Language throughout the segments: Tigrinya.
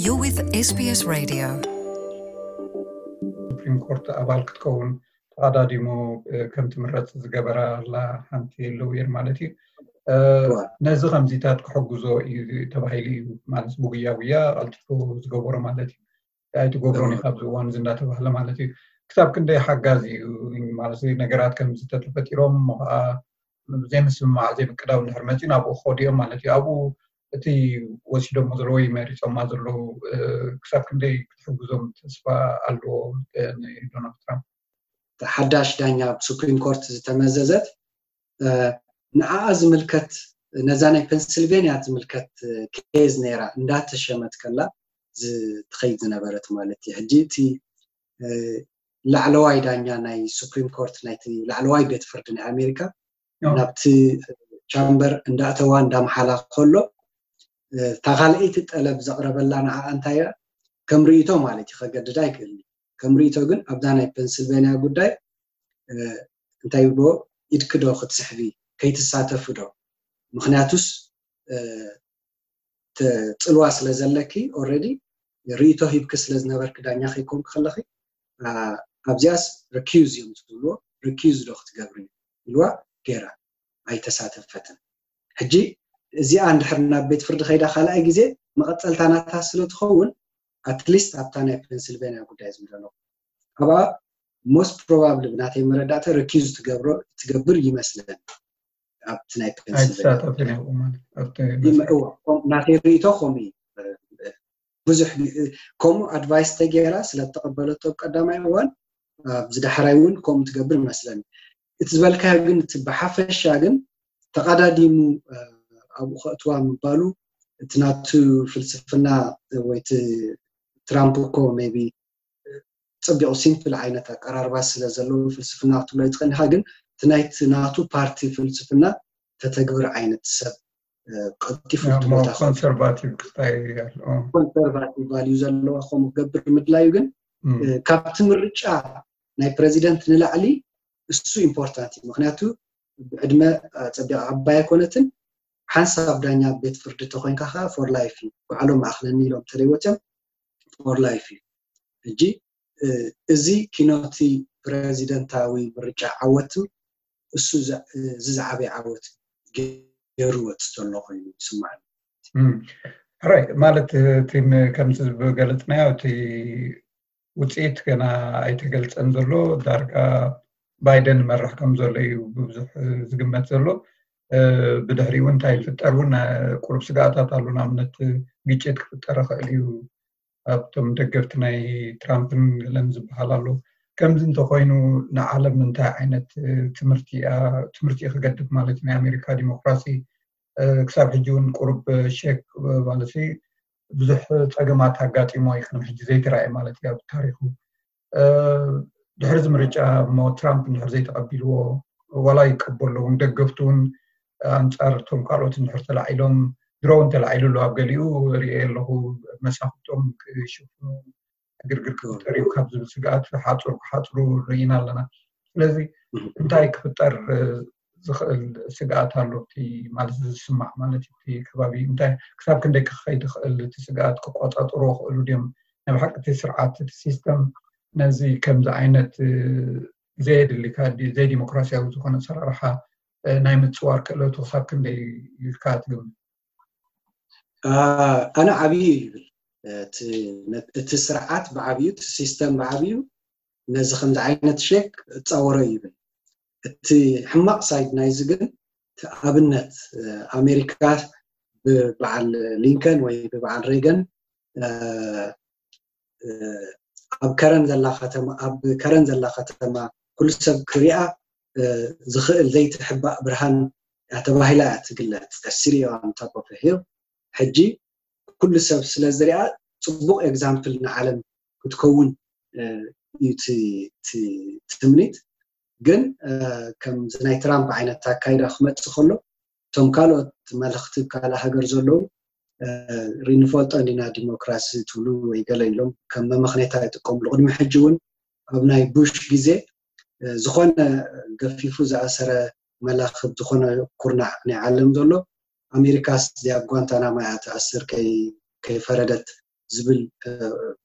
You're with S B S Radio. ሱፕሪም ኮርት ኣባል ክትከውን ተቐዳዲሙ ከም ትምረፅ ዝገበራ ኣላ ሓንቲ ሎየር ማለት እዩ። ነዚ ከምዚታት ክሕግዞ እዩ ተባሂሉ እዩ ማለት ብጉያ ጉያ ቀልጢፉ ዝገበሮ ማለት እዩ። ኣይትገብሮን ኢኻ ኣብዚ እዋን እዚ እንዳተባህለ ማለት እዩ። ክሳብ ክንደይ ሓጋዚ እዩ ማለት ነገራት ከምዚ ተተፈጢሮም እሞ ከዓ ዘይምስምማዕ ዘይምቅዳው እንድሕር መፂኡ ናብኡ ክኸዱ እዮም ማለት እዩ። ኣብኡ እቲ ወሲዶሞ ዘለዉ ወይ መሪፆማ ዘለዉ ክሳብ ክንደይ ክትሕግዞም ተስፋ ኣለዎ ንዶናልድ ትራምፕ? ሓዳሽ ዳኛ ኣብ ሱፕሪም ኮርት ዝተመዘዘት ንዓኣ ዝምልከት ነዛ ናይ ፔንስልቬንያ ዝምልከት ኬዝ ነይራ እንዳተሸመት ከላ ትኸይድ ዝነበረት ማለት እዩ። ሕጂ እቲ ላዕለዋይ ዳኛ ናይ ሱፕሪም ኮርት ናይቲ ላዕለዋይ ቤት ፍርዲ ናይ ኣሜሪካ ናብቲ ቻምበር እንዳእተዋ እንዳመሓላ ከሎ እታ ካልኣይቲ ጠለብ ዘቕረበላ ንዓኣ እንታይ እያ ከም ርእይቶ ማለት እዩ ከገድዳ ኣይክእልን እዩ። ከም ርእይቶ ግን ኣብዛ ናይ ፔንስልቬንያ ጉዳይ እንታይ ይብልዎ ኢድኪ ዶ ክትስሕቢ ከይትሳተፊ ዶ ምኽንያቱስ ጽልዋ ስለ ዘለኪ already ርእይቶ ሂብኪ ስለ ዝነበርኪ ዳኛ ከይኮንኪ ከለኺ ኣብዚኣስ recuse እዮም ዝብልዎ recuse ዶ ክትገብሪ ኢልዋ ገይራ ኣይተሳተፈትን። ሕጂ እዚኣ እንድሕር ናብ ቤት ፍርዲ ከይዳ ካልኣይ ግዜ መቐፀልታ ናታ ስለ ትኸውን at least ኣብታ ናይ ፔንስልቬንያ ጉዳይ ዝብለሎ ኣብኣ most probably ብናተይ መረዳእታ recuse ትገብሮ ትገብር ይመስለኒ ኣብቲ ናይ ፔንስልቬንያ ኣይትሳተፍን እያ ማለት ኣብቲ ናተይ ርእይቶ ከምኡ እዩ። ብዙሕ ከምኡ ኣድቫይስ ተገይራ ስለ ተቐበለቶ ኣብ ቀዳማይ እዋን ኣብዚ ዳሕራይ እውን ከምኡ ትገብር ይመስለኒ። እቲ ዝበልካዮ ግን እቲ ብሓፈሻ ግን ተቐዳዲሙ ኣብኡ ከእትዋ ምባሉ እቲ ናቱ ፍልስፍና ወይ እቲ ትራምፕ እኮ maybe ፅቢቑ ሲምፕል ዓይነት ኣቀራርባ ስለ ዘለዎ ፍልስፍና ክትብሎ ይትኽእል ኢኻ፣ ግን እቲ ናይቲ ናቱ ፓርቲ ፍልስፍና ተተግብር ዓይነት ሰብ ቀልጢፉ ክትብሎ ኮንሰርቫቲቭ ክታይ ኣሎ። ኮንሰርቫቲቭ ቫልዩ ዘለዋ ከምኡ ክገብር ምድላዩ ግን ካብቲ ምርጫ ናይ ፕረዚደንት ንላዕሊ እሱ ኢምፖርታንት እዩ። ምክንያቱ ብዕድመ ፀቢቕ ዓባይ ኣይኮነትን። ሓንሳብ ዳኛ ቤት ፍርዲ ተኮይንካ ከዓ for life እዩ። ባዕሎም ኣኽለኒ ኢሎም ተለይወፅም for life እዩ። ሕጂ እዚ ኪኖቲ ፕረዚደንታዊ ምርጫ ዓወት እሱ እዚ ዝዓበየ ዓወት ገይሩ ወፅቶ ኣሎ ኮይኑ ይስማዓኒ። ሕራይ ማለት እቲ ከምዚ ዝገለፅናዮ እቲ ውፅኢት ገና ኣይተገልፀን ዘሎ ዳርጋ ባይደን ይመርሕ ከም ዘሎ እዩ ብብዙሕ ዝግመት ዘሎ። ብድሕሪኡ እንታይ ይፍጠር እውን ቁሩብ ስጋኣታት ኣሎ። ንኣብነት ግጭት ክፍጠር ይኽእል እዩ ኣብቶም ደገፍቲ ናይ ትራምፕን ገለን ዝበሃል ኣሎ። ከምዚ እንተኮይኑ ንዓለም እንታይ ዓይነት ትምህርቲ ትምህርቲ ክገድፍ ማለት ናይ ኣሜሪካ ዲሞክራሲ ክሳብ ሕጂ እውን ቁሩብ ሸክ ማለት ብዙሕ ፀገማት ኣጋጢሞ እዩ ቅድሚ ሕጂ ዘይተረኣየ ማለት እዩ ኣብ ታሪኩ። ድሕሪ እዚ ምርጫ እሞ ትራምፕ እንድሕር ዘይተቐቢልዎ ዋላ ይቀበሎ እውን ደገፍቱ እውን ኣንፃር እቶም ካልኦት እንድሕር ተላዒሎም ድሮ እውን ተላዒሉ ኣሎ ኣብ ገሊኡ ርእየ ኣለኹ መሳፍቶም ክሽፍኑ ዕግርግር ክፍጠር እዩ ካብ ዝብል ስግኣት ሓፁር ክሓፅሩ ርኢና ኣለና። ስለዚ እንታይ ክፍጠር ዝኽእል ስግኣት ኣሎ እቲ ማለት ዝስማዕ ማለት እቲ ከባቢ እንታይ ክሳብ ክንደይ ክኸይድ ይኽእል እቲ ስግኣት ክቆፃፀሩ ክኽእሉ ድዮም? ናይ ብሓቂ እቲ ስርዓት እቲ ሲስተም ነዚ ከምዚ ዓይነት ዘየድሊ ዘይዲሞክራሲያዊ ዝኾነ ኣሰራርሓ ናይ ምፅዋር ክእለቱ ክሳብ ክንደይ ኢልካ ትግምት? ኣነ ዓብዩ ይብል እቲ ስርዓት ብዓብዩ እቲ ሲስተም ብዓብዩ ነዚ ከምዚ ዓይነት ሸክ እፃወሮ ይብል። እቲ ሕማቕ ሳይድ ናይዚ ግን እቲ ኣብነት ኣሜሪካ ብበዓል ሊንከን ወይ ብበዓል ሬገን ኣብ ከረን ዘላ ከተማ ኣብ ከረን ዘላ ከተማ ኩሉ ሰብ ክሪኣ ዝኽእል ዘይትሕባእ ብርሃን ተባሂላ እያ ትግለፅ። ሲሪዮ ኣንታፖፈ ሂል ሕጂ ኩሉ ሰብ ስለ ዝሪኣ ፅቡቕ ኤግዛምፕል ንዓለም ክትከውን እዩ ትምኒት። ግን ከምዚ ናይ ትራምፕ ዓይነት ኣካይዳ ክመፅእ ከሎ እቶም ካልኦት መለኽቲ ካልእ ሃገር ዘለዉ ሪንፈልጦ እንዲና ዲሞክራሲ ትብሉ ወይ ገለ ኢሎም ከም መመኽኔታ ይጥቀምሉ። ቅድሚ ሕጂ እውን ኣብ ናይ ቡሽ ግዜ ዝኾነ ገፊፉ ዝኣሰረ መላኽብ ዝኾነ ኩርናዕ ናይ ዓለም ዘሎ ኣሜሪካስ እዚኣ ኣብ ጓንታናሞ እያ ትኣስር ከይፈረደት ዝብል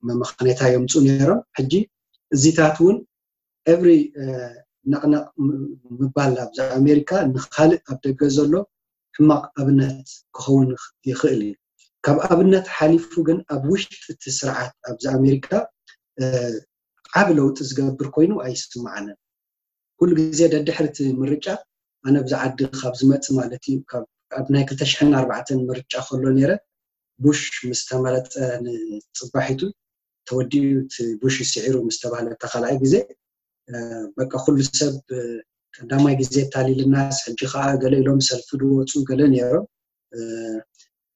መመኸኔታ የምፁ ነይሮም። ሕጂ እዚታት እውን every ነቕነቕ ምባል ኣብዚ ኣሜሪካ ንካልእ ኣብ ደገ ዘሎ ሕማቕ ኣብነት ክኸውን ይኽእል እዩ። ካብ ኣብነት ሓሊፉ ግን ኣብ ውሽጢ እቲ ስርዓት ኣብዚ ኣሜሪካ ዓብ ለውጢ ዝገብር ኮይኑ ኣይስምዓንን። ኩሉ ግዜ ደድሕሪ እቲ ምርጫ ኣነ ብዚ ዓዲ ካብ ዝመፅ ማለት እዩ ኣብ ናይ ክልተ ሽሕን ኣርባዕተን ምርጫ ከሎ ነይረ ቡሽ ምስ ተመረፀ ንፅባሒቱ ተወዲኡ እቲ ቡሽ ይስዒሩ ምስ ተባህለ እታ ካልኣይ ግዜ በቃ ኩሉ ሰብ ቀዳማይ ግዜ ታሊልናስ ሕጂ ከዓ ገለ ኢሎም ሰልፊ ድወፁ ገለ ነይሮም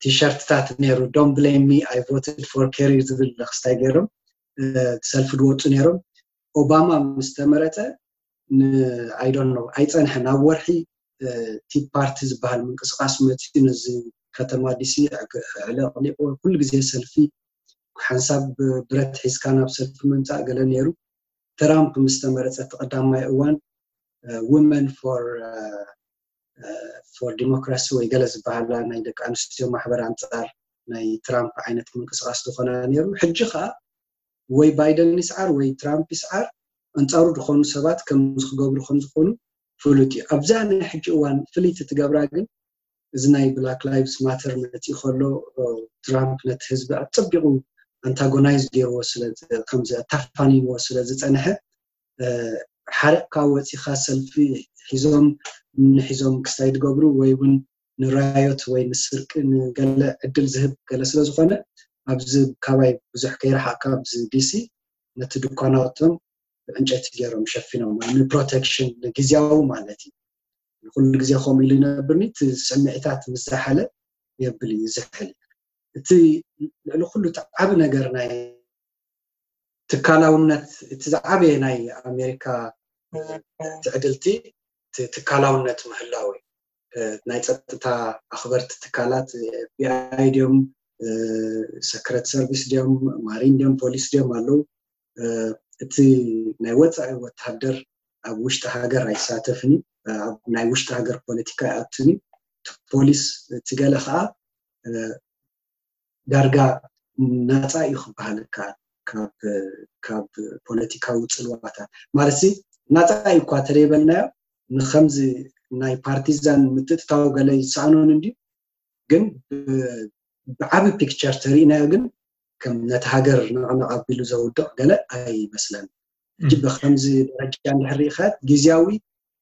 ቲሸርትታት ነይሩ don't blame me I voted for Kerry ዝብል ክስታይ ገይሮም ሰልፊ ድወፁ ነይሮም ኦባማ ምስ ተመረፀ I don't know ኣይፀንሐን ኣብ ወርሒ ቲ ፓርቲ ዝበሃል ምንቅስቃስ መፅኡ ነዚ ከተማ ዲሲ ዕለቅሊቁ ኩሉ ግዜ ሰልፊ ሓንሳብ ብረት ሒዝካ ናብ ሰልፊ ምምፃእ ገለ ነይሩ ትራምፕ ምስ ተመረፀ እቲ ቀዳማይ እዋን women for for democracy ወይ ገለ ዝበሃላ ናይ ደቂ ኣንስትዮ ማሕበር ኣንፃር ናይ ትራምፕ ዓይነት ምንቅስቃስ ዝኾና ነይሩ ሕጂ ከዓ ወይ ባይደን ይስዓር ወይ ትራምፕ ይስዓር ኣንፃሩ ዝኾኑ ሰባት ከም ዝክገብሩ ከም ዝኾኑ ፍሉጥ እዩ ኣብዛ ናይ ሕጂ እዋን ፍልይቲ ትገብራ ግን እዚ ናይ black lives matter መፂኡ ከሎ ትራምፕ ነቲ ህዝቢ ኣፀቢቑ ኣንታጎናይዝ ገይርዎ ስለ ከምዚ ኣታፋኒንዎ ስለ ዝፀንሐ ሓረቕካ ወፂኻ ሰልፊ ሒዞም ምኒ ሒዞም ክስታይ ዝገብሩ ወይ እውን ንራዮት ወይ ንስርቂ ንገለ ዕድል ዝህብ ገለ ስለ ዝኾነ ኣብዚ ካባይ ብዙሕ ከይረሓቕካ ኣብዚ ዲሲ ነቲ ድኳናቶም ብዕንጨይቲ ገይሮም ሸፊኖም ወይ ንፕሮቴክሽን ንግዝያዊ ማለት እዩ ኩሉ ግዜ ከምኡ ኢሉ ይነብርኒ እቲ ስምዒታት ምስ ዝሓለ የብል እዩ ዝሕል እቲ ልዕሊ ኩሉ እቲ ዓቢ ነገር ናይ ትካላውነት እቲ ዝዓበየ ናይ ኣሜሪካ ትዕድልቲ ትካላውነት ምህላው ናይ ፀጥታ ኣኽበርቲ ትካላት ኤፍቢኣይ ድዮም ሰክረት ሰርቪስ ድዮም ማሪን ድዮም ፖሊስ ድዮም ኣለዉ እቲ ናይ ወፃኢ ወታደር ኣብ ውሽጢ ሃገር ኣይሳተፍን እዩ ናይ ውሽጢ ሃገር ፖለቲካ ኣይኣትን እዩ ፖሊስ እቲ ገለ ከዓ ዳርጋ ናፃ እዩ ክበሃል ይከኣል ካብ ፖለቲካዊ ፅልዋታት ማለት ናፃ እዩ እኳ ተደይበልናዮ ንከምዚ ናይ ፓርቲዛን ምትእትታው ገለ ይሰኣኖን እንዲ ግን ብዓቢ ፒክቸር ተሪእናዮ ግን ከም ነቲ ሃገር ነቕነቕ ኣቢሉ ዘውድቕ ገለ ኣይመስለን ሕጂ ብከምዚ ደረጃ እንድሕር ርኢኻት ግዜያዊ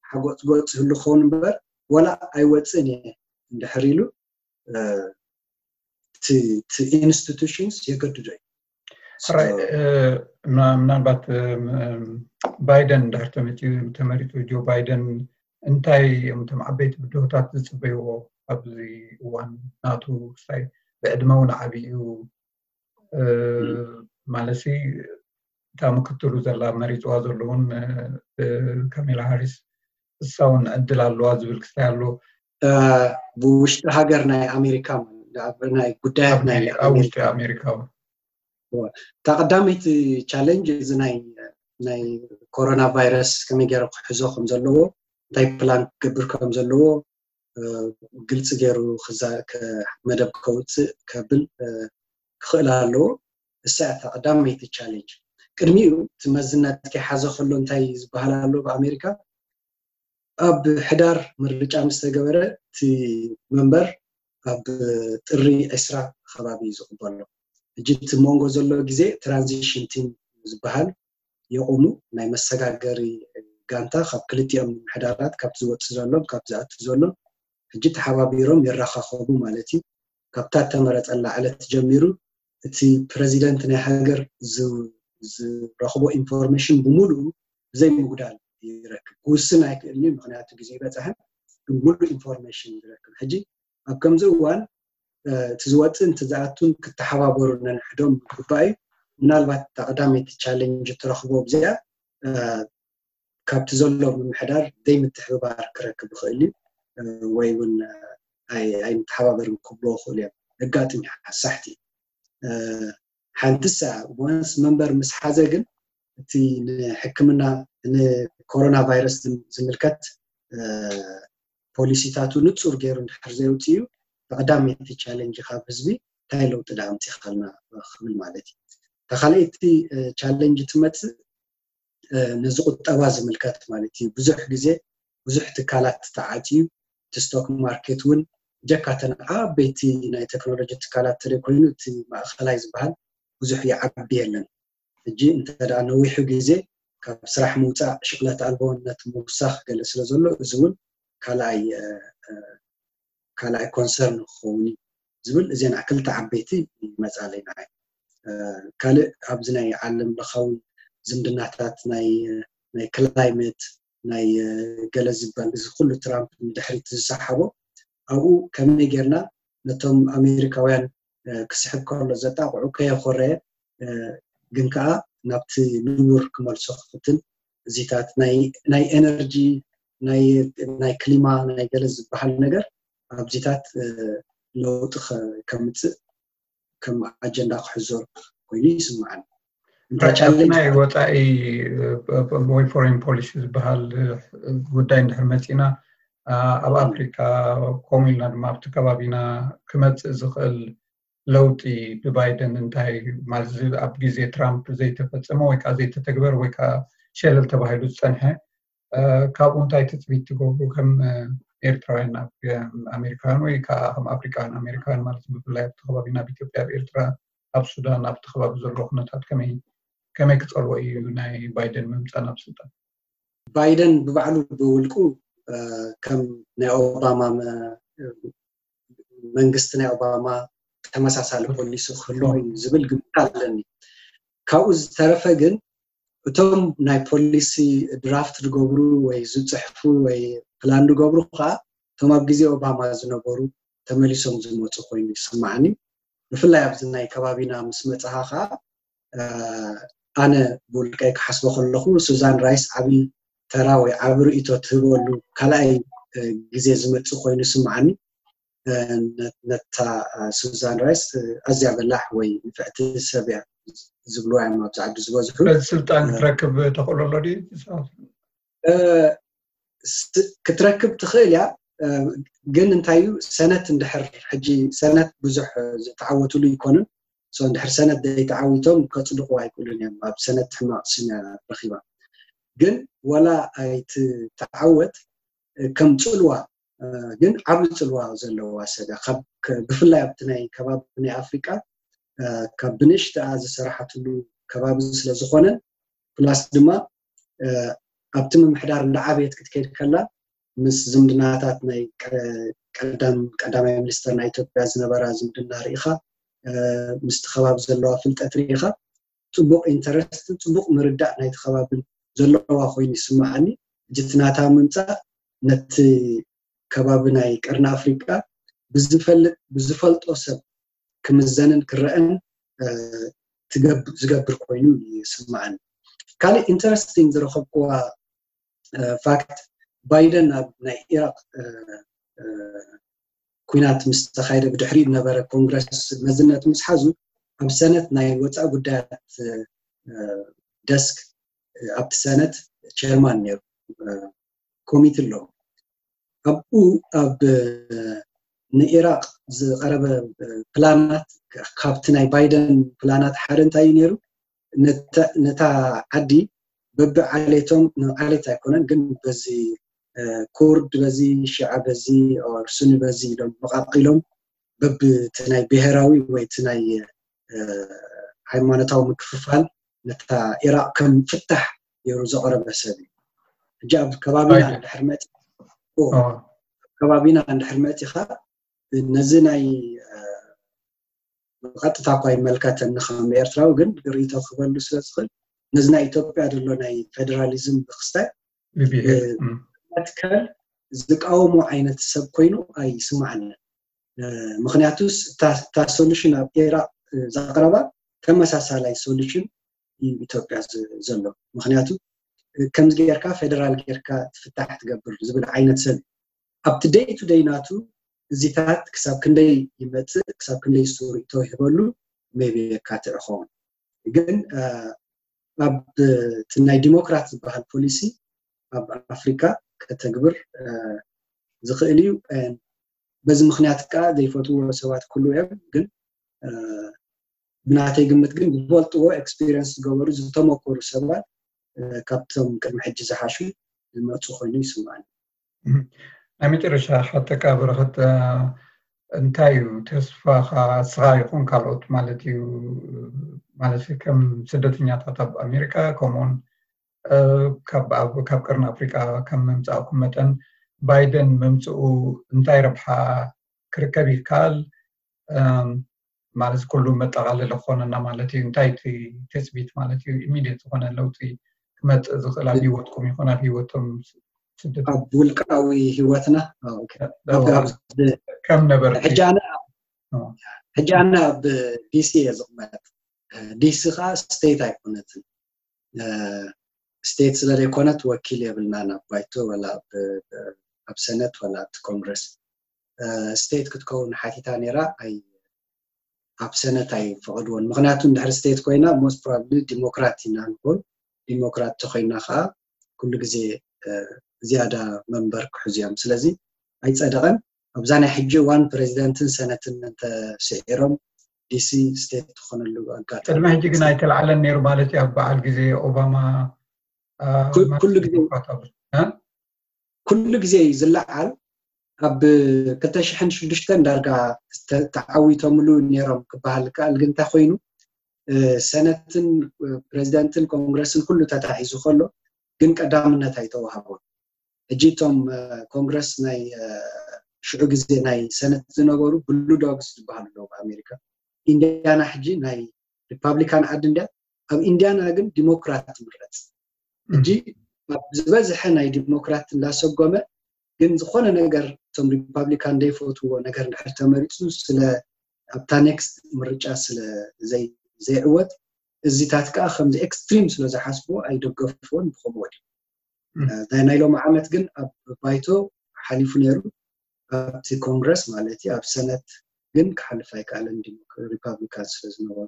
ሓጎፅጎፅ ህሉ ክኸውን እምበር ወላ ኣይወፅእን እየ እንድሕር ኢሉ እቲ ኢንስቲቱሽንስ የገድዶ እዩ ምናልባት ባይደን እንድሕር ተመሪጡ ጆ ባይደን እንታይ እዮም እቶም ዓበይቲ ብድሆታት ዝፅበይዎ ኣብዚ እዋን ናቱ ክስታይ ብዕድመ እውን ዓብዩ ማለት እታ ምክትሉ ዘላ መሪፅዋ ዘለውን ካሜላ ሃሪስ እሳ እውን ዕድል ኣለዋ ዝብል ክስታይ ኣሎ ብውሽጢ ሃገር ናይ ኣሜሪካ ናይ ጉዳያት ናይ ኣብ ውሽጢ ኣሜሪካ እውን እታ ቀዳመይቲ ቻለንጅ እዚ ናይ ናይ ኮሮና ቫይረስ ከመይ ገይረ ክሕዞ ከም ዘለዎ እንታይ ፕላን ክገብር ከም ዘለዎ ግልፂ ገይሩ መደብ ከውፅእ ከብል ክኽእል ኣለዎ እሳ እታ ቀዳመይቲ ቻሌንጅ ቅድሚኡ እቲ መዝነት ከይሓዘ ከሎ እንታይ ዝበሃል ኣሎ ብኣሜሪካ ኣብ ሕዳር ምርጫ ምስ ተገበረ እቲ መንበር ኣብ ጥሪ ዕስራ ከባቢ እዩ ዝቕበሎ ሕጂ እቲ መንጎ ዘሎ ግዜ ትራንዚሽን ቲም ዝበሃል የቑሙ ናይ መሰጋገሪ ጋንታ ካብ ክልቲኦም ምምሕዳራት ካብቲ ዝወፅእ ዘሎን ካብ ዝኣቱ ዘሎን ሕጂ ተሓባቢሮም ይራኻኸቡ ማለት እዩ ካብታ ተመረፀላ ዕለት ጀሚሩ እቲ ፕረዚደንት ናይ ሃገር ዝረኽቦ ኢንፎርሜሽን ብምሉኡ ብዘይምጉዳል ይረክብ ክውስን ኣይክእልን እዩ ምክንያቱ ግዜ ይበፅሐን ግን ሙሉእ ኢንፎርሜሽን ይረክብ ሕጂ ኣብ ከምዚ እዋን እቲ ዝወፅእን እቲ ዝኣቱን ክተሓባበሩ ነንሕዶም ምግባእ እዩ ምናልባት እታ ቀዳመይቲ ቻሌንጅ እትረኽቦ ኣብዚኣ ካብቲ ዘሎ ምምሕዳር ዘይምትሕብባር ክረክብ ይኽእል እዩ ወይ እውን ኣይምተሓባበርን ክብልዎ ይኽእሉ እዮም ኣጋጥም ሓሳሕቲ ሓንትሳ ወንስ መንበር ምስ ሓዘ ግን እቲ ንሕክምና ንኮሮና ቫይረስ ዝምልከት ፖሊሲታቱ ንፁር ገይሩ እንድሕር ዘየውፅእ እዩ ብቀዳመይቲ ቻለንጅ ካብ ህዝቢ እንታይ ለውጢ ዳ ኣምፂኻልና ክብል ማለት እዩ። እታ ካልኣይቲ ቻለንጅ ትመፅእ ነዚ ቁጠባ ዝምልከት ማለት እዩ። ብዙሕ ግዜ ብዙሕ ትካላት ተዓፅዩ፣ እቲ ስቶክ ማርኬት እውን ጀካተን ዓበይቲ ናይ ቴክኖሎጂ ትካላት ተለይ ኮይኑ እቲ ማእኸላይ ዝበሃል ብዙሕ ይዓቢ የለን። ሕጂ እንተ ደኣ ነዊሑ ግዜ ካብ ስራሕ ምውፃእ ሽቕለት ኣልቦነት ምውሳኽ ገለ ስለ ዘሎ እዚ እውን ካልኣይ ካልኣይ ኮንሰርን ክኸውን እዩ ዝብል እዚን ክልተ ዓበይቲ ይመፃለይ ንዓይ። ካልእ ኣብዚ ናይ ዓለም ለኻዊ ዝምድናታት ናይ ናይ ክላይመት ናይ ገለ ዝበል እዚ ኩሉ ትራምፕ ንድሕሪት ዝሰሓቦ ኣብኡ ከመይ ጌርና ነቶም ኣሜሪካውያን ክስሕብ ከሎ ዘጣቕዑ ከየኾረየ ግን ከዓ ናብቲ ንቡር ክመልሶ ክፍትን እዚታት ናይ ኤነርጂ ናይ ክሊማ ናይ ገለ ዝበሃል ነገር ኣብዚታት ለውጢ ከምፅእ ከም ኣጀንዳ ክሕዞ ኮይኑ ይስምዓኒ። ናይ ወፃኢ ወይ ፎሬን ፖሊሲ ዝበሃል ጉዳይ እንድሕር መፂና ኣብ ኣፍሪካ ከምኡ ኢልና ድማ ኣብቲ ከባቢና ክመፅእ ዝኽእል ለውጢ ብባይደን እንታይ ማለት ኣብ ግዜ ትራምፕ ዘይተፈፀመ ወይ ከዓ ዘይተተግበር ወይ ከዓ ሸለል ተባሂሉ ዝፀንሐ ካብኡ እንታይ ትፅቢት ትገብሩ ከም ኤርትራውያን ኣሜሪካውያን ወይ ከዓ ከም ኣፍሪካውያን ኣሜሪካውያን ማለት ብፍላይ ኣብቲ ከባቢ ናብ ኢትዮጵያ ኣብ ኤርትራ ኣብ ሱዳን ኣብቲ ከባቢ ዘሎ ኩነታት ከመይ ከመይ ክፀልዎ እዩ ናይ ባይደን ምምፃእ ናብ ስልጣን? ባይደን ብባዕሉ ብውልቁ ከም ናይ ኦባማ መንግስቲ ናይ ኦባማ ተመሳሳሊ ፖሊሲ ክህልዎ እዩ ዝብል ግምት ኣለኒ። ካብኡ ዝተረፈ ግን እቶም ናይ ፖሊሲ ድራፍት ዝገብሩ ወይ ዝፅሕፉ ወይ ፕላን ዝገብሩ ከዓ እቶም ኣብ ግዜ ኦባማ ዝነበሩ ተመሊሶም ዝመፁ ኮይኑ ይስማዓኒ። ብፍላይ ኣብዚ ናይ ከባቢና ምስ መፅኻ ከዓ ኣነ ብውልቀይ ክሓስቦ ከለኹ ሱዛን ራይስ ዓብዪ ተራ ወይ ዓቢ ርእይቶ ትህበሉ ካልኣይ ግዜ ዝመፅእ ኮይኑ ይስምዓኒ። ነታ ሱዛን ራይስ ኣዝያ በላሕ ወይ ንፍዕቲ ሰብ እያ ዝብልዋ እዮም ኣብዚ ዓዲ ዝበዝሑ። ስልጣን ክትረክብ ተኽእሎ ኣሎ ድዩ? ክትረክብ ትኽእል እያ፣ ግን እንታይ እዩ ሰነት እንድሕር ሕጂ ሰነት ብዙሕ ዝተዓወትሉ ይኮኑን። እንድሕር ሰነት ዘይተዓዊቶም ከፅድቑ ኣይክእሉን እዮም። ኣብ ሰነት ሕማቕ ስም እያ ረኺባ። ግን ዋላ ኣይትተዓወት ከም ፅልዋ ግን ዓብዪ ፅልዋ ዘለዋ ሰብ እያ። ብፍላይ ኣብቲ ናይ ከባቢ ናይ ኣፍሪቃ ካብ ብንእሽተኣ ዝሰራሓትሉ ከባቢ ስለዝኾነ ፕላስ ድማ ኣብቲ ምምሕዳር እንዳዓበየት ክትከይድ ከላ ምስ ዝምድናታት ናይ ቀዳም ቀዳማይ ሚኒስተር ናይ ኢትዮጵያ ዝነበራ ዝምድና ርኢኻ ምስቲ ከባቢ ዘለዋ ፍልጠት ርኢኻ ፅቡቕ ኢንተረስትን ፅቡቕ ምርዳእ ናይቲ ከባብን ዘለዋ ኮይኑ ይስምዓኒ። ሕጂ እቲ ናታ ምምፃእ ነቲ ከባቢ ናይ ቀርኒ ኣፍሪቃ ብዝፈልጥ ብዝፈልጦ ሰብ ክምዘንን ክረአን ዝገብር ኮይኑ ይስምዓኒ። ካልእ ኢንተረስቲንግ ዝረኸብክዋ ፋክት ባይደን ኣብ ናይ ኢራቅ ኩናት ምስ ተኻየደ ብድሕሪኡ ዝነበረ ኮንግረስ መዝነት ምስ ሓዙ ኣብ ሰነት ናይ ወፃኢ ጉዳያት ደስክ ኣብቲ ሰነት ቸርማን ነይሩ ኮሚት ኣለዎ። ኣብኡ ኣብ ንኢራቅ ዝቀረበ ፕላናት ካብቲ ናይ ባይደን ፕላናት ሓደ እንታይ እዩ ነይሩ? ነታ ዓዲ በቢ ዓሌቶም ዓሌት ኣይኮነን ግን በዚ ኩርድ በዚ ሽዓ በዚ ሱኒ በዚ ኢሎም መቃቂሎም በብቲ ናይ ብሄራዊ ወይ እቲ ናይ ሃይማኖታዊ ምክፍፋል ነታ ኢራቅ ከም ፍታሕ ገይሩ ዘቅረበ ሰብ እዩ። ሕጂ ኣብ ከባቢና እንድሕር መፂ ከባቢና እንድሕር መፂኻ ነዚ ናይ ብቐጥታ እኳ ይመልከተኒ ከም ኤርትራዊ ግን ርእይቶ ክበሉ ስለ ዝኽእል ነዚ ናይ ኢትዮጵያ ዘሎ ናይ ፌደራሊዝም ብክስታይ መትከል ዝቃወሞ ዓይነት ሰብ ኮይኑ ኣይስማዓንን። ምክንያቱስ እታ ሶሉሽን ኣብ ኢራቅ ዘቅረባ ተመሳሳላይ ሶሉሽን እዩ ኢትዮጵያ ዘሎ። ምክንያቱ ከምዚ ጌርካ ፌደራል ጌርካ ትፍታሕ ትገብር ዝብል ዓይነት ሰብ ኣብቲ ደይ ቱ ደይ ናቱ እዚታት ክሳብ ክንደይ ይመፅእ ክሳብ ክንደይ ዝስሩ ይተውህበሉ ሜቢ የካትዕ ኸውን ግን ኣብ ናይ ዲሞክራት ዝበሃል ፖሊሲ ኣብ ኣፍሪካ ከተግብር ዝኽእል እዩ። በዚ ምክንያት ከዓ ዘይፈትዎ ሰባት ኩሉ እዮም ግን ብናተይ ግምት ግን ዝፈልጥዎ፣ ኤክስፒሪየንስ ዝገበሩ፣ ዝተመኮሩ ሰባት ካብቶም ቅድሚ ሕጂ ዝሓሹ ዝመፁ ኮይኑ ይስማዓኒ። ናይ መጨረሻ ሓተካ በረኸት፣ እንታይ እዩ ተስፋኻ፣ እስኻ ይኹን ካልኦት ማለት እዩ፣ ማለት ከም ስደተኛታት ኣብ ኣሜሪካ ከምኡውን ካብ ቀርኒ ኣፍሪቃ ከም ምምፃእኩም መጠን ባይደን ምምፅኡ እንታይ ረብሓ ክርከብ ይከኣል? ማለት ኩሉ መጠቓለለ ክኾነና ማለት እዩ። እንታይ እቲ ትፅቢት ማለት እዩ? ኢሚድየት ዝኾነ ለውጢ ክመፅእ ዝኽእል ኣብ ህይወትኩም ይኹን ኣብ ህይወቶም ስደት ኣብ ውልቃዊ ህይወትና ከም ነበር ሕጂ ኣነ ኣብ ዲሲ እየ ዝቕመጥ። ዲሲ ከዓ ስቴት ኣይኮነትን። ስቴት ስለ ዘይኮነት ወኪል የብልናን ኣብ ባይቶ ወላ ኣብ ሰነት ወላ ኣብቲ ኮንግረስ። ስቴት ክትከውን ሓቲታ ነይራ፣ ኣብ ሰነት ኣይፈቐድዎን። ምክንያቱ እንድሕር ስቴት ኮይና ሞስት ፕሮባብሊ ዲሞክራት ኢና ንኮን። ዲሞክራት ተኮይና ከዓ ኩሉ ግዜ ዝያዳ መንበር ክሕዙ እዮም። ስለዚ ኣይፀደቐን። ኣብዛ ናይ ሕጂ እዋን ፕሬዚደንትን ሰነትን እንተስዒሮም ዲሲ ስቴት ትኾነሉ ኣጋጣሚ ቅድሚ ሕጂ ግን ኣይተለዓለን ነይሩ ማለት እዩ። ኣብ በዓል ግዜ ኦባማ ኩሉ ግዜ እዩ ዝለዓል። ኣብ ክልተ ሽሕን ሽዱሽተን ዳርጋ ተዓዊቶምሉ ነይሮም ክበሃል ይከኣል። ግን እንታይ ኮይኑ ሰነትን ፕሬዚደንትን ኮንግረስን ኩሉ ተታሒዙ ከሎ ግን ቀዳምነት ኣይተዋህቦን። ሕጂ እቶም ኮንግረስ ናይ ሽዑ ግዜ ናይ ሰነት ዝነበሩ ብሉ ዶግስ ዝበሃሉ ኣለዉ ኣብ ኣሜሪካ። ኢንዲያና ሕጂ ናይ ሪፓብሊካን ዓዲ እንድያ፣ ኣብ ኢንዲያና ግን ዲሞክራት ትምረፅ። ሕጂ ኣብ ዝበዝሐ ናይ ዲሞክራት እንዳሰጎመ ግን ዝኾነ ነገር እቶም ሪፓብሊካን ዘይፈትዎ ነገር እንድሕር ተመሪፁ ስለ ኣብታ ኔክስት ምርጫ ስለ ዘይዕወት እዚታት ከዓ ከምዚ ኤክስትሪም ስለ ዝሓስብዎ ኣይደገፍዎን ብከምኡ ወዲኡ። ናይ ሎሚ ዓመት ግን ኣብ ባይቶ ሓሊፉ ነይሩ፣ ኣብቲ ኮንግረስ ማለት እዩ። ኣብ ሰነት ግን ክሓልፍ ኣይከኣለን ሪፓብሊካን ስለ ዝነበሩ።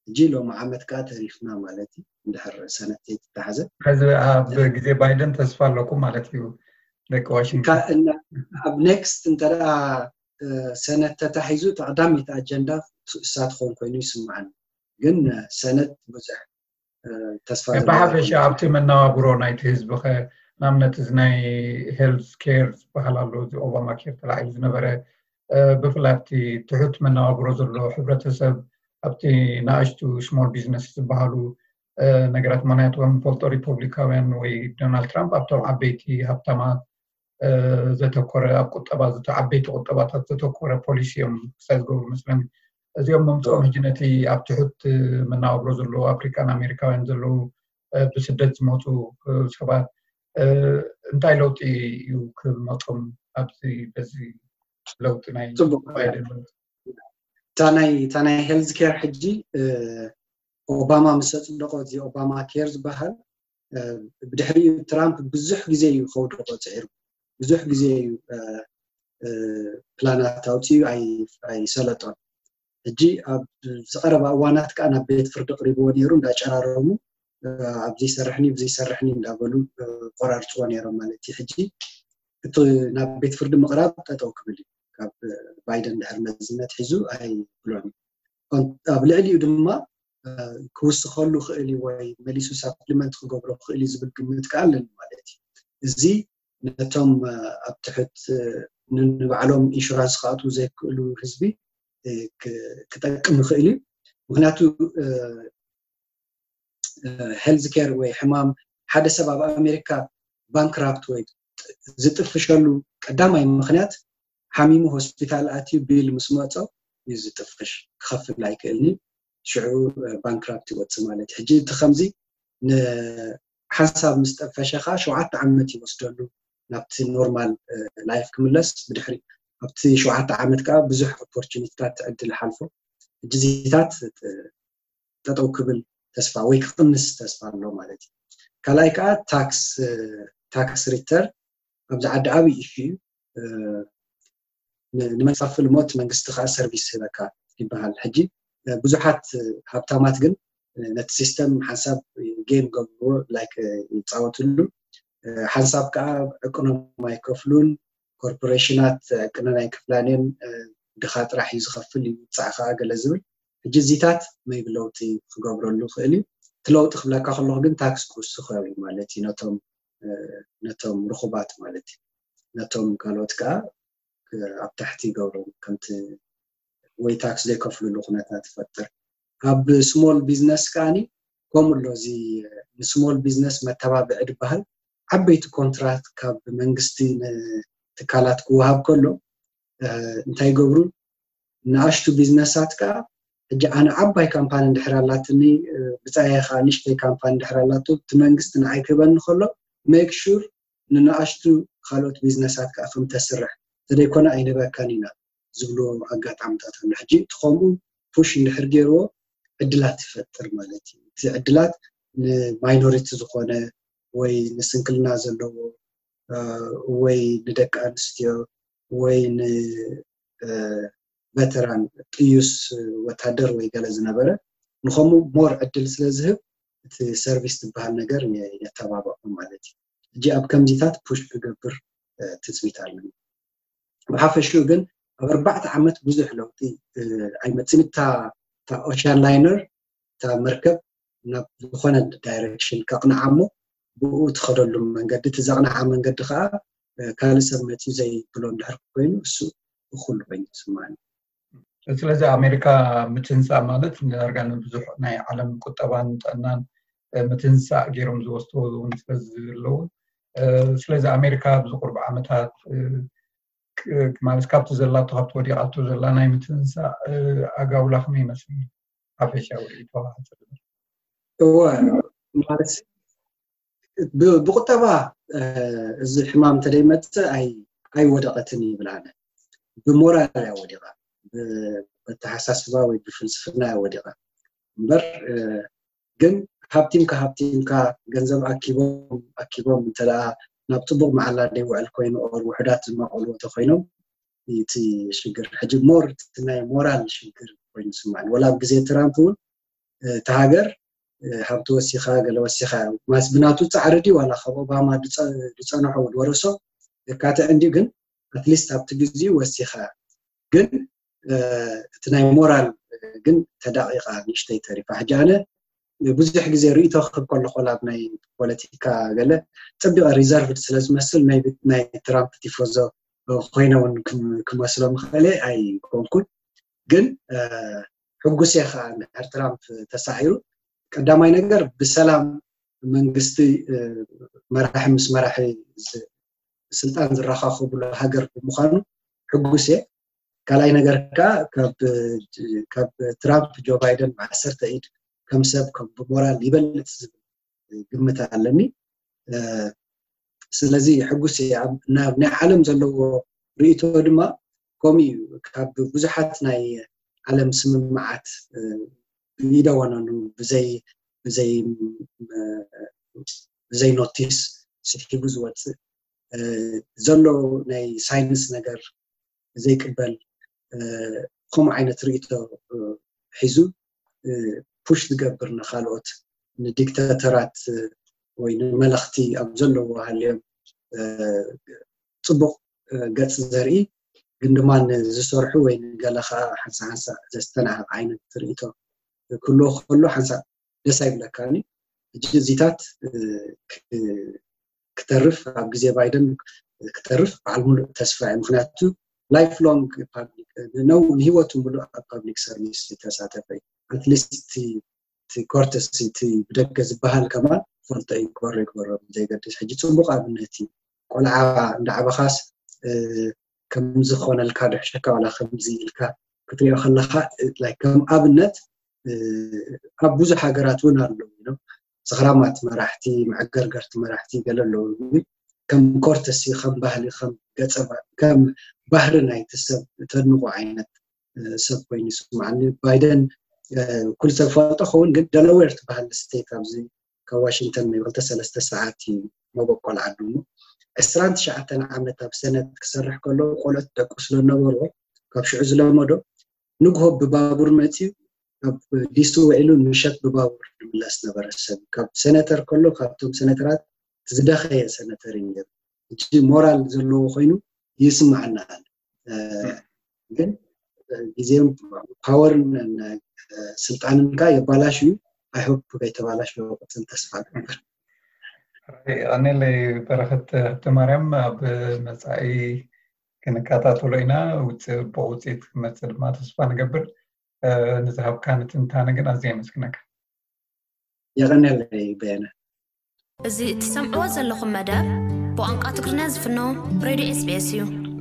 ሕጂ ሎሚ ዓመት ከዓ ተሪፍና ማለት እዩ። እንድሕር ሰነት ዘይተታሓዘ ሕዚ ኣብ ግዜ ባይደን ተስፋ ኣለኩም ማለት እዩ። ደቂ ዋሽንግተን ኣብ ኔክስት እንተ ሰነት ተታሒዙ ተቀዳሚት ኣጀንዳ እሳ ትኾን ኮይኑ ይስምዓኒ። ግን ሰነት ብዙሕ ተስፋ ብሓፈሻ ኣብቲ መነባብሮ ናይቲ ህዝቢ ከ ንኣብነት እዚ ናይ ሄልዝ ኬር ዝበሃል ኣሎ፣ እዚ ኦባማ ኬር ተላዒሉ ዝነበረ ብፍላይ ኣብቲ ትሑት መነባብሮ ዘሎ ሕብረተሰብ ኣብቲ ንኣሽቱ ስሞል ቢዝነስ ዝበሃሉ ነገራት ምክንያቱ ከም ንፈልጦ ሪፐብሊካውያን ወይ ዶናልድ ትራምፕ ኣብቶም ዓበይቲ ሃብታማት ዘተኮረ ኣብ ቁጠባ ዓበይቲ ቁጠባታት ዘተኮረ ፖሊሲ እዮም ክሳይ ዝገብሩ መስለኒ። እዚኦም ምምፅኦም ሕጂ ነቲ ኣብ ትሑት መነባብሮ ዘለዉ ኣፍሪካን ኣሜሪካውያን ዘለዉ ብስደት ዝመፁ ሰባት እንታይ ለውጢ እዩ ክመፆም ኣብዚ በዚ ለውጢ ናይ ባይደን ለውጢ? እታ ናይ ሄልዝ ኬር ሕጂ ኦባማ ምስ ኣፅደቆ እዚ ኦባማ ኬር ዝበሃል ብድሕሪኡ ትራምፕ ብዙሕ ግዜ እዩ ከውድቆ ፅዒሩ። ብዙሕ ግዜ እዩ ፕላናት ኣውፅኡ ኣይሰለጦን። ሕጂ ኣብ ዝቀረባ እዋናት ከዓ ናብ ቤት ፍርዲ ቅሪብዎ ነይሩ እንዳጨራረሙ ኣብዚ ይሰርሕኒ እዚ ይሰርሕኒ እንዳበሉ ቆራርፅዎ ነይሮም ማለት እዩ። ሕጂ እቲ ናብ ቤት ፍርዲ ምቅራብ ጠጠው ክብል እዩ። ካብ ባይደን ድሕር መዝነት ሒዙ ኣይብሎን እዩ። ኣብ ልዕሊኡ ድማ ክውስኸሉ ክእል እዩ ወይ መሊሱ ሳፕሊመንት ክገብሮ ክእል እዩ ዝብል ግምት ከዓ ኣለኒ ማለት እዩ። እዚ ነቶም ኣብ ትሕት ንባዕሎም ኢንሹራንስ ክኣትዉ ዘይክእሉ ህዝቢ ክጠቅም ይኽእል እዩ። ምክንያቱ ሄልዝ ኬር ወይ ሕማም ሓደ ሰብ ኣብ ኣሜሪካ ባንክራፕት ወይ ዝጥፍሸሉ ቀዳማይ ምክንያት ሓሚሙ ሆስፒታል ኣትዩ ቢል ምስ መፆ እዩ ዝጥፍሽ፣ ክኸፍል ኣይክእልን እዩ። ሽዑ ባንክራፕት ይወፅእ ማለት እዩ። ሕጂ እቲ ከምዚ ንሓንሳብ ምስ ጠፈሸ ከዓ ሸውዓተ ዓመት ይወስደሉ ናብቲ ኖርማል ላይፍ ክምለስ። ብድሕሪ ኣብቲ ሸውዓተ ዓመት ከዓ ብዙሕ ኦፖርቹኒቲታት ዕድል ሓልፎ። ሕጂ ዚታት ጠጠው ክብል ተስፋ ወይ ክቕንስ ተስፋ ኣሎ ማለት እዩ። ካልኣይ ከዓ ታክስ ታክስ ሪተር ኣብዚ ዓዲ ዓብዪ ኢሹ እዩ። ንመንግስቲ ከፍል እሞ እቲ መንግስቲ ከዓ ሰርቪስ ይህበካ ይበሃል። ሕጂ ብዙሓት ሃብታማት ግን ነቲ ሲስተም ሓንሳብ ጌም ገብርዎ ላይክ ይፃወትሉ፣ ሓንሳብ ከዓ ዕቅኖም ኣይከፍሉን። ኮርፖሬሽናት ዕቅነን ኣይክፍላን እየን። ድኻ ጥራሕ እዩ ዝኸፍል፣ ይውፃዕ ከዓ ገለ ዝብል። ሕጂ እዚታት maybe ለውጢ ክገብረሉ ይኽእል እዩ። እቲ ለውጢ ክብለካ ከለኹ ግን ታክስ ክውስኸ እዩ ማለት እዩ ነቶም ነቶም ርኹባት ማለት እዩ። ነቶም ካልኦት ከዓ ኣብ ታሕቲ ይገብሮም ከምቲ ወይ ታክስ ዘይከፍልሉ ኩነታት ይፈጥር። ኣብ small business ከዓኒ ከምኡ ኣሎ። እዚ ን small business መተባብዒ ዝበሃል ዓበይቲ ኮንትራት ካብ መንግስቲ ንትካላት ክወሃብ ከሎ እንታይ ይገብሩ? ንኣሽቱ ቢዝነሳት ከዓ ሕጂ ኣነ ዓባይ ካምፓኒ እንድሕር ኣላትኒ ብፃየ ከዓ ንሽተይ ካምፓኒ እንድሕር ኣላቱ እቲ መንግስቲ ንዓይ ክህበኒ ከሎ make sure ንንኣሽቱ ካልኦት ቢዝነሳት ከዓ ከም ተስርሕ ተደይኮነ ኣይንህበካን ኢና ዝብሉ ኣጋጣሚታት ኣሎ። ሕጂ እቲ ከምኡ ፑሽ እንድሕር ገይርዎ ዕድላት ይፈጥር ማለት እዩ። እቲ ዕድላት ንማይኖሪቲ ዝኾነ ወይ ንስንክልና ዘለዎ ወይ ንደቂ ኣንስትዮ ወይ ንቨተራን ጥዩስ ወታደር ወይ ገለ ዝነበረ ንኸምኡ ሞር ዕድል ስለ ዝህብ እቲ ሰርቪስ ዝበሃል ነገር የተባብዖ ማለት እዩ። ሕጂ ኣብ ከምዚታት ፑሽ ክገብር ትፅቢት ኣለኒ። ብሓፈሽኡ ግን ኣብ ኣርባዕተ ዓመት ብዙሕ ለውጢ ኣይመፅን። እታ ኦሽያን ላይነር እታ መርከብ ናብ ዝኾነ ዳይሬክሽን ከቕንዓ እሞ ብኡ ትኸደሉ መንገዲ እቲ ዘቕንዓ መንገዲ ከዓ ካልእ ሰብ መፅዩ ዘይብሎ እንድሕር ኮይኑ እሱ እኩል ኮይኑ ይስማዓኒ። ስለዚ ኣሜሪካ ምትንሳእ ማለት ንዳርጋ ንብዙሕ ናይ ዓለም ቁጠባን ጥዕናን ምትንሳእ ገይሮም ዝወስድዎ እውን ስለዚ ዘለዉ ስለዚ ኣሜሪካ ኣብዚ ቁርብ ዓመታት ማለት ካብቲ ዘላቶ ካብቲ ወዲቓቶ ዘላ ናይ ምትንሳእ ኣጋውላ ከመይ ይመስል? ሓፈሻዊ ርእይቶ እወ ማለት ብቁጠባ እዚ ሕማም እንተደይመፅእ ኣይወደቐትን ይብል ኣነ። ብሞራል እያ ወዲቓ፣ ብኣተሓሳስባ ወይ ብፍልስፍና እያ ወዲቓ እምበር ግን ሃብቲምካ ሃብቲምካ ገንዘብ ኣኪቦም ኣኪቦም እንተ ናብ ፅቡቕ መዓላ ደይውዕል ኮይኑ ኦር ውሕዳት ዝማቐልዎ ተኮይኖም እቲ ሽግር ሕጂ ሞር ናይ ሞራል ሽግር ኮይኑ ይስማዓኒ። ወላ ኣብ ግዜ ትራምፕ እውን እቲ ሃገር ሃብቲ ወሲኻ ገለ ወሲኻ ማስ ብናቱ ፃዕሪ ድዩ ዋላ ካብ ኦባማ ዝፀንሖ ዝወረሶ የካትዕ እንድዩ ግን ኣትሊስት ኣብቲ ግዜኡ ወሲኻ ግን እቲ ናይ ሞራል ግን ተዳቂቃ ንእሽተይ ተሪፋ። ሕጂ ኣነ ብዙሕ ግዜ ርእይቶ ክህብ ከለኹ ናብ ናይ ፖለቲካ ገለ ፀቢቐ ሪዘርቭድ ስለ ዝመስል ናይ ትራምፕ ቲፎዞ ኮይነ እውን ክመስሎ ምኽእለ ኣይኮንኩን። ግን ሕጉስ እየ ከዓ እንድሕር ትራምፕ ተሳዒሩ ቀዳማይ ነገር ብሰላም መንግስቲ መራሒ ምስ መራሒ ስልጣን ዝረኻኸብሉ ሃገር ብምዃኑ ሕጉስ እየ። ካልኣይ ነገር ከዓ ካብ ትራምፕ ጆ ባይደን ብዓሰርተ ኢድ ከም ሰብ ከም ብሞራል ይበልፅ ዝብል ግምት ኣለኒ። ስለዚ ሕጉስ እየ። ኣብ ናይ ዓለም ዘለዎ ርእይቶ ድማ ከምኡ እዩ። ካብ ብዙሓት ናይ ዓለም ስምምዓት ብኢደ ወነኑ ብዘይ ብዘይ ብዘይ ኖቲስ ስሒቡ ዝወፅእ ዘሎ ናይ ሳይንስ ነገር ዘይቅበል ከምኡ ዓይነት ርእይቶ ሒዙ ፑሽ ዝገብር ንካልኦት ንዲክታተራት ወይ ንመለኽቲ ኣብ ዘለዎ ሃልዮም ፅቡቕ ገፅ ዘርኢ ግን ድማ ንዝሰርሑ ወይ ንገለ ከዓ ሓንሳ ሓንሳ ዘስተናዕቕ ዓይነት ርእይቶ ክህልዎ ከሎ ሓንሳ ደስ ኣይብለካኒ። ሕጂ እዚታት ክተርፍ ኣብ ግዜ ባይደን ክተርፍ በዓል ሙሉእ ተስፋ እዩ። ምክንያቱ ላይፍ ሎንግ ንህይወቱ ሙሉእ ኣብ ፓብሊክ ሰርቪስ ዝተሳተፈ እዩ። ኣትሊስት እቲ ኮርተሲ እቲ ብደገ ዝበሃል ከማን ፈልጦ እዩ ክበሮ ይግበሮ ዘይገድስ። ሕጂ ፅቡቅ ኣብነት እዩ። ቆልዓ እንዳዓበኻስ ከምዚ ክኾነልካ ድሕሸካ ዋላ ከምዚ ኢልካ ክትሪኦ ከለካ ከም ኣብነት ኣብ ብዙሕ ሃገራት እውን ኣለዉ እዮም። ሰኽራማት መራሕቲ፣ መዕገርገርቲ መራሕቲ ገለ ኣለዉ። ግን ከም ኮርተሲ፣ ከም ባህሊ፣ ከም ገጸ ከም ባህሪ ናይቲ ሰብ እተድንቑ ዓይነት ሰብ ኮይኑ ይስምዓኒ። ባይደን ኩሉ ሰብ ፈልጦ ኸውን ግን ደለዌር ትበሃል ስቴት ኣብዚ ካብ ዋሽንግተን ናይ ክልተ ሰለስተ ሰዓት እዩ መበቆል ዓዱ እሞ ዕስራን ትሽዓተን ዓመት ኣብ ሰነት ክሰርሕ ከሎ ቆልዑት ደቁ ስለነበርዎ ካብ ሽዑ ዝለመዶ ንግሆ ብባቡር መፅዩ ኣብ ዲሲ ውዒሉ ምሸት ብባቡር ዝምለስ ነበረ ሰብ ካብ ሰነተር ከሎ ካብቶም ሰነተራት ዝደኸየ ሰነተር እዩ ነሩ። ሕጂ ሞራል ዘለዎ ኮይኑ ይስምዓና ኣሎ። እ፣ ግን ግዜን ፓወርን ስልጣንን ከ የባላሽዩ። I hope ከይተባላሽዩ ክቅፅል ተስፋ እገብር። ቀኒለይ በረኸት ሃብተማርያም። ኣብ መፃኢ ክንከታተሎ ኢና። ጽቡቕ ውፅኢት ክመፅእ ድማ ተስፋ ንገብር። ንዝሃብካኒ ትንታነ ግን ኣዝየ የመስግነካ። የቐንየለይ በየነ። እዚ እትሰምዕዎ ዘለኹም መደብ ብቋንቋ ትግርኛ ዝፍኖ ሬድዮ ኤስቢኤስ እዩ።